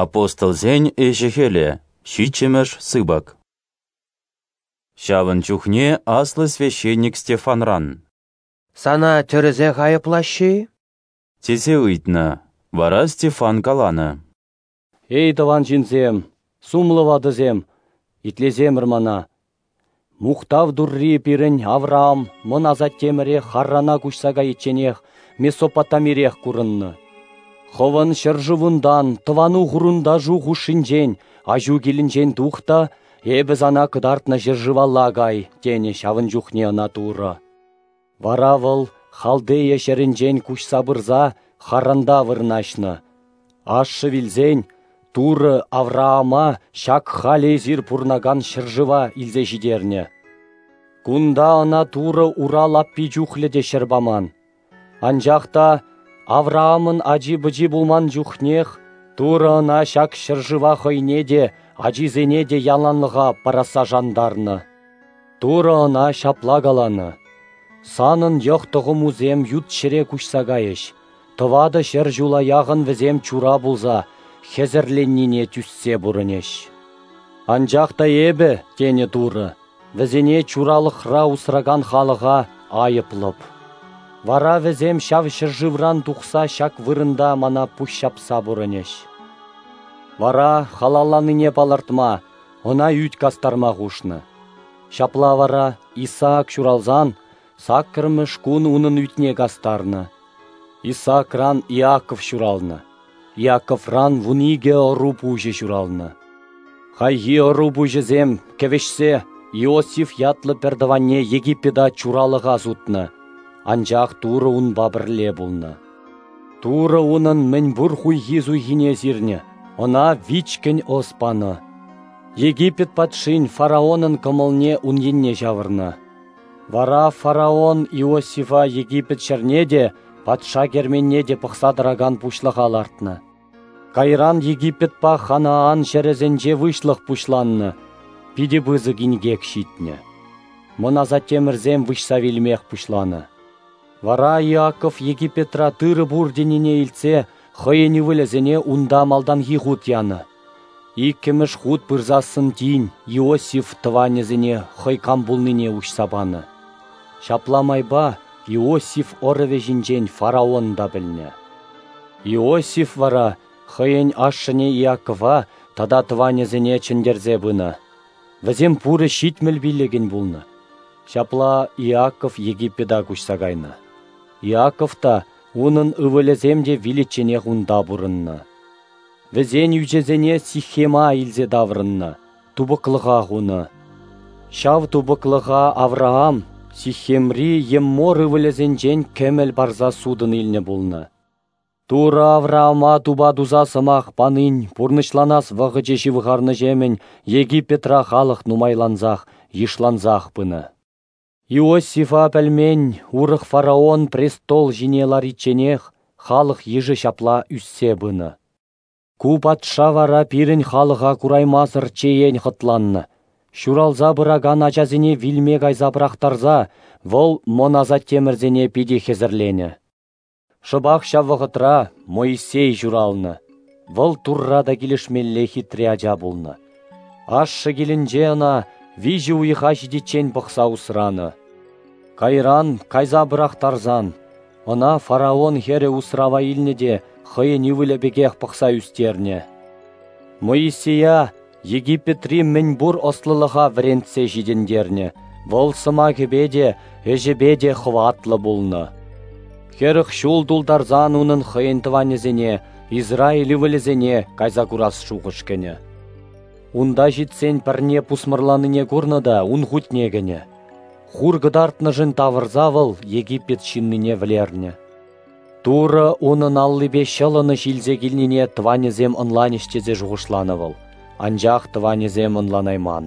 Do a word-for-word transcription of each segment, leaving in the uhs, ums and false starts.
Апостолсен ӗҫӗ-хӗлӗ, ҫиччӗмӗш сыпӑк. Ҫавӑн чухне аслӑ священник Стефанран: «Сана тӗрӗсех айӑплаҫҫӗ-и?» тесе ыйтнӑ. Вара Стефан каланӑ: «Эй, тӑван ҫынсем, сумлӑ ватӑсем, итлесемӗр мана. Мухтав Турри пирӗн Авраам мӑн асаттемӗре Харрана куҫса кайичченех Месопотамирех курӑннӑ. Хӑвӑн ҫӗршывунтан, тӑвану-хурӑнташу хушшинчен, аҫу килӗнчен тух та эпӗ сана кӑтартнӑ ҫӗршывалла кай», тенӗ ҫавӑн чухне ӑна Турӑ. Вара вӑл Халдея ҫӗрӗнчен куҫса пырса Харранта вырнаҫнӑ. Ашшӗ вилсен Турӑ Авраама ҫак халӗ эсир пурӑнакан ҫӗршыва илсе ҫитернӗ. Кунта ӑна Турӑ ура лаппи чухлӗ те ҫӗр паман. Анчах та Авраамӑн ачи-пӑчи пулман чухнех Турӑ ӑна ҫак ҫӗршыва хӑйне те, ачисене те яланлӑха парасса шантарнӑ. Турӑ ӑна ҫапла каланӑ: «Санӑн йӑх-тӑхӑмусем ют ҫӗре куҫса кайӗҫ, тӑватӑ ҫӗр ҫула яхӑн вӗсем чура пулса хӗсӗрленнине тӳссе пурӑнӗҫ. Анчах та эпӗ, тенӗ Турӑ, вӗсене чуралӑхра усракан халӑха айӑплӑп. Вара вӗсем ҫав ҫӗршывран тухса ҫак вырӑнта мана пуҫҫапса пурӑнӗҫ». Вара халалланине палӑртма, ӑна ӳт кастарма хушнӑ. Ҫапла вара Исаак ҫуралсан саккӑрмӗш кун унӑн ӳтне кастарнӑ. Исаакран Иаков ҫуралнӑ. Иаковран вун икӗ ӑру пуҫӗ ҫуралнӑ. Хайхи ӑру пуҫӗсем кӗвӗҫсе Иосиф ятлӑ пӗртӑванне Египета чуралӑха сутнӑ, анчах Турӑ унпа пӗрле пулнӑ. Турӑ унӑн мӗнпур хуйхи-суйхине сирнӗ, ӑна вичкӗн ӑс панӑ. Египет патшин фараонӑн кӑмӑлне ун енне ҫавӑрнӑ. Вара фараон Иосифа Египет ҫӗрне те, патша керменне те пӑхса тӑракан пуҫлӑха лартнӑ. Кайран Египетпа Ханаан ҫӗрӗсенче выҫлӑх пуҫланнӑ, питӗ пысӑк инкек ҫитнӗ. Мӑн асаттемӗрсем выҫса вилмех пуҫланӑ. Вара Иаков Египетра тырӑ пур тенине илтсе хӑйӗн ывӑлӗсене унта малтанхи хут янӑ. Иккӗмӗш хут пырсассӑн тин Иосиф тӑванӗсене хӑй кам пулнине уҫса панӑ. Ҫапла майпа Иосиф ӑрӑвӗ ҫинчен фараон та пӗлнӗ. Иосиф вара хӑйӗн ашшӗне Иакова тата тӑванӗсене чӗнтерсе пынӑ. Вӗсем пурӗ ҫитмӗл пиллӗкӗн пулнӑ. Ҫапла Иаков Египета куҫса кайнӑ. Иаков та, унӑн ывӑлӗсем те виличченех унта пурӑннӑ. Вӗсен ӳчӗсене Сихема илсе таврӑннӑ, тупӑклӑха хунӑ. Ҫав тупӑклӑха Авраам Сихемри Еммор ывӑлӗсенчен кӗмӗл парса сутӑн илнӗ пулнӑ. Турӑ Авраама тупа туса сӑмах панин пурнӑҫланас вӑхӑчӗ ҫывхарнӑҫемӗн Египетра халӑх нумайлансах, йышлансах пынӑ. Иосифа пӗлмен урӑх фараон престол ҫине ларичченех халӑх йышӗ ҫапла ӳссе пынӑ. Ку патша вара пирӗн халӑха кураймасӑр чеен хӑтланнӑ. Ҫуралса пыракан ачасене вилме кайса пӑрахтарса вӑл мӑн асаттемӗрсене питӗ хӗсӗрленӗ. Шӑпах ҫав вӑхӑтра Моисей ҫуралнӑ. Вӑл Турра та килӗшмелле хитре ача пулнӑ. Ашшӗ килӗнче ӑна виҫӗ уйӑха ҫитиччен пӑхса усранӑ. Кайран кайса пӑрахтарсан ӑна фараон хӗрӗ усрава илнӗ те хӑйӗн ывӑлӗ пекех пӑхса ӳстернӗ. Моисея Египетри мӗнпур ӑслӑлӑха вӗрентсе ҫитӗнтернӗ, вӑл сӑмахӗпе те, ӗҫӗпе те хӑватлӑ пулнӑ. Хӗрӗх ҫул тултарсан унӑн хӑйӗн тӑванӗсене, Израиль ывӑлӗсене кайса курас шухӑш кӗнӗ. Унта ҫитсен пӗрне пусмӑрланине курнӑ та ун хутне кӗнӗ. Хур кӑтартнӑшӑн тавӑрса вӑл Египет ҫыннине вӗлернӗ. Турӑ унӑн аллипе ҫӑлӑнӑҫ илсе килнине тӑванӗсем ӑнланӗҫ тесе шухӑшланӑ вӑл, анчах тӑванӗсем ӑнланайман.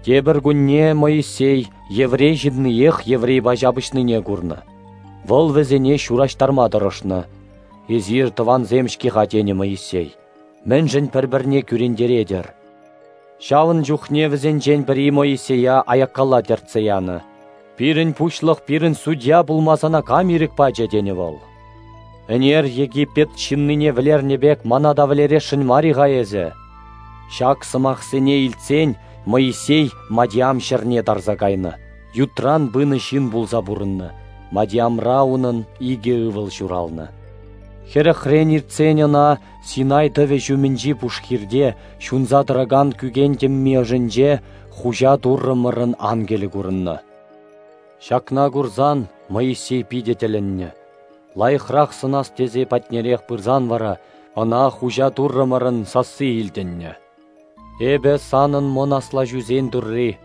Тепӗр кунне Моисей еврей ҫынниех еврейпа ҫапӑҫнине курнӑ. Вӑл вӗсене ҫураҫтарма тӑрӑшнӑ. «Эсир тӑвансем-ҫке-ха», тенӗ Моисей. «Мӗншӗн пӗр-пӗрне кӳрентеретӗр?» Ҫавӑн чухне вӗсенчен пӗри Моисея аяккалла тӗртсе янӑ. «Пирӗн пуҫлӑх, пирӗн судья пулма сана кам ирӗк пачӗ?» тенӗ вӑл. Ӗнер Египет ҫыннине вӗлернӗ пек мана та вӗлересшӗн мар-и-ха эсӗ?» Ҫак сӑмахсене илтсен Моисей Мадиам ҫӗрне тарса кайнӑ, ютран пынӑ ҫын пулса пурӑннӑ. Мадиамра унӑн икӗ ывӑл ҫуралнӑ. Хӗрӗхрен иртсен ӑна Синай тӑвӗ ҫумӗнчи пушхирте ҫунса тӑракан кӳкен тӗмми ӑшӗнче Хуҫа Туррӑмӑрӑн ангелӗ курӑннӑ. Ҫакна курсан Моисей питӗ тӗлӗннӗ. Лайӑхрах сӑнас тесе патнерех пырсан вара ӑна Хуҫа Туррӑмӑрӑн сасси илтӗннӗ. «Эпӗ санӑн мӑн аслаҫусен Турри,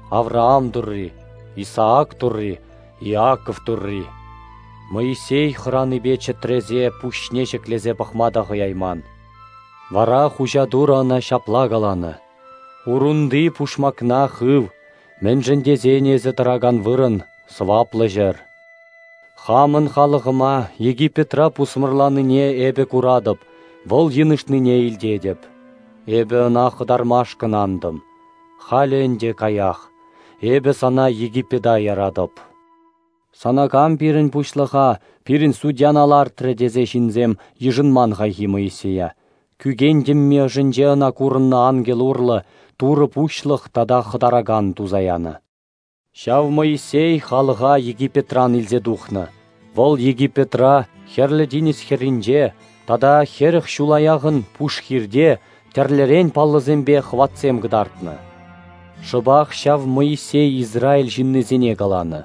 Авраам Турри, Исаак Турри, Иаков Турри». Моисей хӑранипе чӗтресе пуҫне ҫӗклесе пӑхма та хӑяйман. Вара Хуҫа Турӑ ӑна ҫапла каланӑ: «Урунти пушмакна хыв, мӗншӗн тесен эсӗ тӑракан вырӑн сӑваплӑ ҫӗр. Хамӑн халӑхӑма Египетра пусмӑрланине эпӗ куратӑп, вӑл йынӑшнине илтетӗп. Эпӗ ӑна хӑтармашкӑн антӑм. Халӗ ӗнтӗ каях, эпӗ сана Египета яратӑп. Сана кам пирӗн пуҫлӑха, пирӗн судьяна лартрӗ тесе ҫынсем йышӑнман хайхи Моисея. Кӳкен тӗмми ӑшӗнче ӑна курӑннӑ ангел урлӑ Турӑ пуҫлӑх тата хӑтаракан туса янӑ. Ҫав Моисей халӑха Египетран илсе тухнӑ. Вӑл Египетра, Хӗрлӗ тинӗс хӗрринче тата хӗрӗх ҫула яхӑн пушхирте тӗрлӗрен паллӑсемпе хӑватсем кӑтартнӑ. Шӑпах ҫав Моисей Израиль ҫыннисене каланӑ: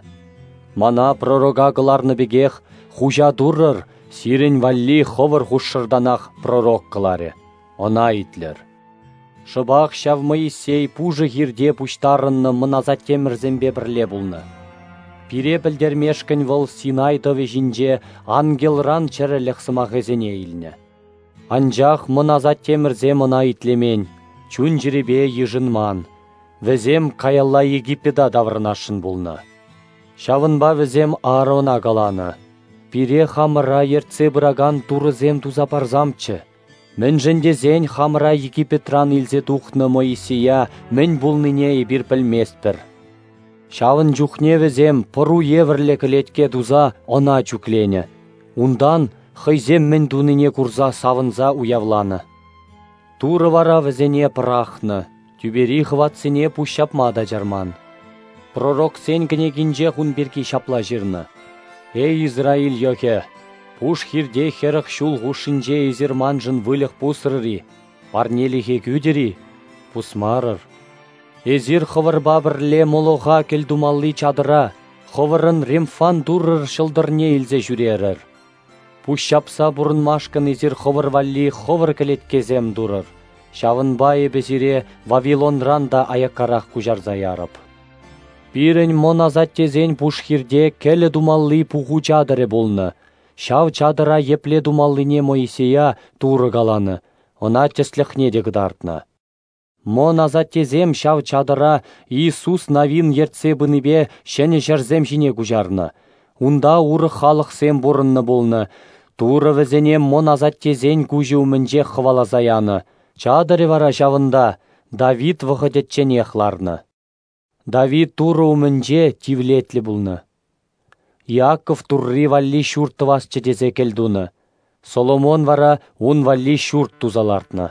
«Мана пророка кӑларнӑ пекех Хуҫа Туррӑр сирӗн валли хӑвӑр хушшӑртанах пророк кӑларӗ. Ӑна итлӗр». Шӑпах ҫав Моисей пушӑ хирте пуҫтарӑннӑ мӑн асаттемӗрсемпе пӗрле пулнӑ. Пире пӗлтермешкӗн вӑл Синай тӑвӗ ҫинче ангелран чӗрӗлӗх сӑмахӗсене илнӗ. Анчах мӑн асаттемӗрсем ӑна итлемен, чун-чӗрепе йышӑнман. Вӗсем каялла Египета таврӑнасшӑн пулнӑ. Ҫавӑнпа вӗсем Аарона каланӑ: «Пире хамӑра ертсе пыракан турӑсем туса парсамччӗ. Мӗншӗн тесен хамӑра Египетран илсе тухнӑ Моисея мӗн пулнине эпир пӗлместпӗр». Ҫавӑн чухне вӗсем пӑру евӗрлӗ кӗлетке туса ӑна чӳкленӗ. Унтан хӑйсем мӗн тунине курса савӑнса уявланӑ. Турӑ вара вӗсене пӑрахнӑ, тӳпери хӑватсене пуҫҫапма та чарман. Пророксен кӗнекинчех ун пирки ҫапла ҫырнӑ: «Эй, Израиль йӑхӗ, пуш хирте хӗрӗх ҫул хушшинче эсир маншӑн выльӑх пусрӑр-и, парнелӗхе кӳтӗр-и? Пусмарӑр. Эсир хӑвӑрпа пӗрле Молоха кӗлтумалли чатӑра, хӑвӑрӑн Ремфан туррӑр ҫӑлтӑрне илсе ҫӳрерӗр. Пуҫҫапса пурӑнмашкӑн эсир хӑвӑр валли хӑвӑр кӗлеткесем турӑр. Ҫавӑнпа эпӗ сире Вавилонран та аяккарах куҫарса ярӑп. Пирӗн мӑн асаттесен пушхирте кӗлӗ тумалли пуху чатӑрӗ пулнӑ. Ҫав чатӑра епле тумаллине Моисея Турӑ каланӑ, ӑна тӗслӗхне те кӑтартнӑ. Мӑн асаттесем ҫав чатӑра Иисус Навин ертсе пынипе ҫӗнӗ ҫӗрсем ҫине куҫарнӑ. Унта урӑх халӑхсем пурӑннӑ пулнӑ. Турӑ вӗсене мӑн асаттесен куҫӗ умӗнчех хӑваласа янӑ. Чатӑрӗ вара ҫавӑнта Давид вӑхӑтӗчченех ларнӑ. Давид Турӑ умӗнче тивлетлӗ пулнӑ. Иаков Турри валли ҫурт тӑвасчӗ тесе кӗлтунӑ. Соломон вара ун валли ҫурт туса лартнӑ.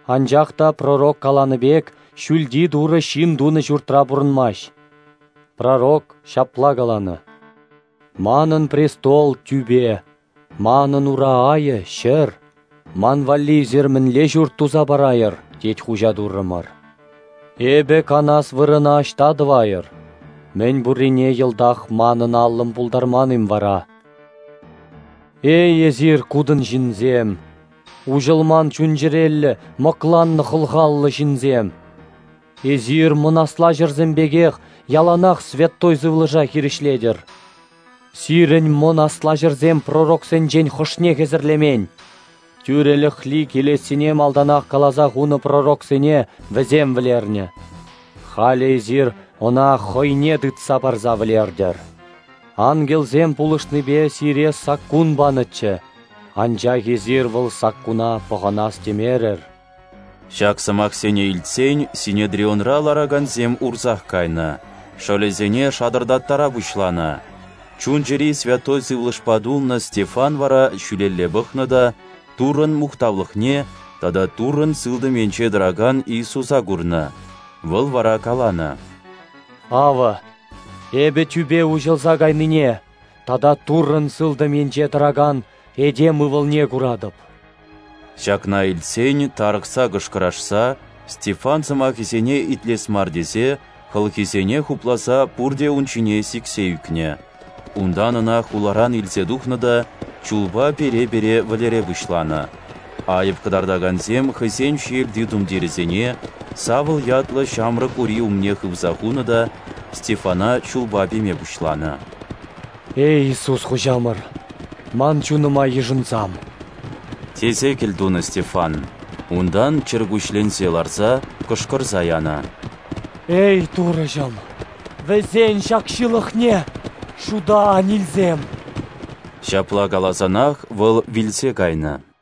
Анчах та пророк каланӑ пек ҫӳлти Турӑ ҫын тунӑ ҫуртра пурӑнмасть. Пророк ҫапла каланӑ: «Манӑн престол тӳпе, манӑн ура айӗ ҫӗр. Ман валли эсир мӗнле ҫурт туса парайӑр, тет Хуҫа Туррӑмӑр. Эпӗ канас вырӑна ӑҫта тӑвайӑр? Мӗн пуррине йӑлтах манӑн аллӑм пултарман-им вара? Эй, эсир кутӑн ҫынсем, уҫӑлман чун-чӗреллӗ, мӑкланнӑ хӑлхаллӑ ҫынсем! Эсир мӑн аслаҫӑрсем пекех яланах святой сывлӑша хирӗҫлетӗр. Сирӗн мӑн аслаҫӑрсем пророксенчен хӑшне хӗсӗрлемен. Тӳрӗлӗхли килессине малтанах каласа хунӑ пророксене вӗсем вӗлернӗ. Халӗ эсир ӑна хӑйне тытса парса вӗлертӗр. Ангелсем пулӑшнипе сире саккун панӑччӗ, анчах эсир вӑл саккуна пӑхӑнас темерӗр». Ҫак сӑмахсене илтсен Синедрионра ларакансем урсах кайнӑ, шӑлӗсене шатӑртаттара пуҫланӑ. Чун-чӗри Святой Сывлӑшпа тулнӑ Стефан вара ҫӳлелле пӑхнӑ та Туррӑн мухтавлӑхне тата Туррӑн сылтӑм енче тӑракан Иисуса курнӑ. Вӑл вара каланӑ: Авӑ, эпӗ тӳпе уҫӑлса кайнине тата Туррӑн сылтӑм енче тӑракан этем ывӑлне куратӑп. Ҫакна илтсен тарӑхса кӑшкӑрашса, Стефан сӑмахӗсене итлес мар тесе хӑлхисене хупласа пурте ун ҫине сиксе ӳкнӗ. Унтан ӑна хуларан илсе тухнӑ та чулпа пере-пере вӗлере пуҫланӑ. Айӑп кӑтартакансем хӑйсен ҫиелти тумтирӗсене Савл ятлӑ ҫамрӑк ури умне хывса хунӑ та Стефана чулпа пеме пуҫланӑ. Эй, Иисус Хуҫамӑр, ман чунӑма йышӑнсам! Тесе кӗлтунӑ Стефан. Унтан чӗркуҫленсе ларса кӑшкӑрса янӑ: Эй, Турӑҫӑм, вӗсен ҫак ҫылӑхне шута ан илсем! Ҫапла каласанах вӑл вилсе кайнӑ.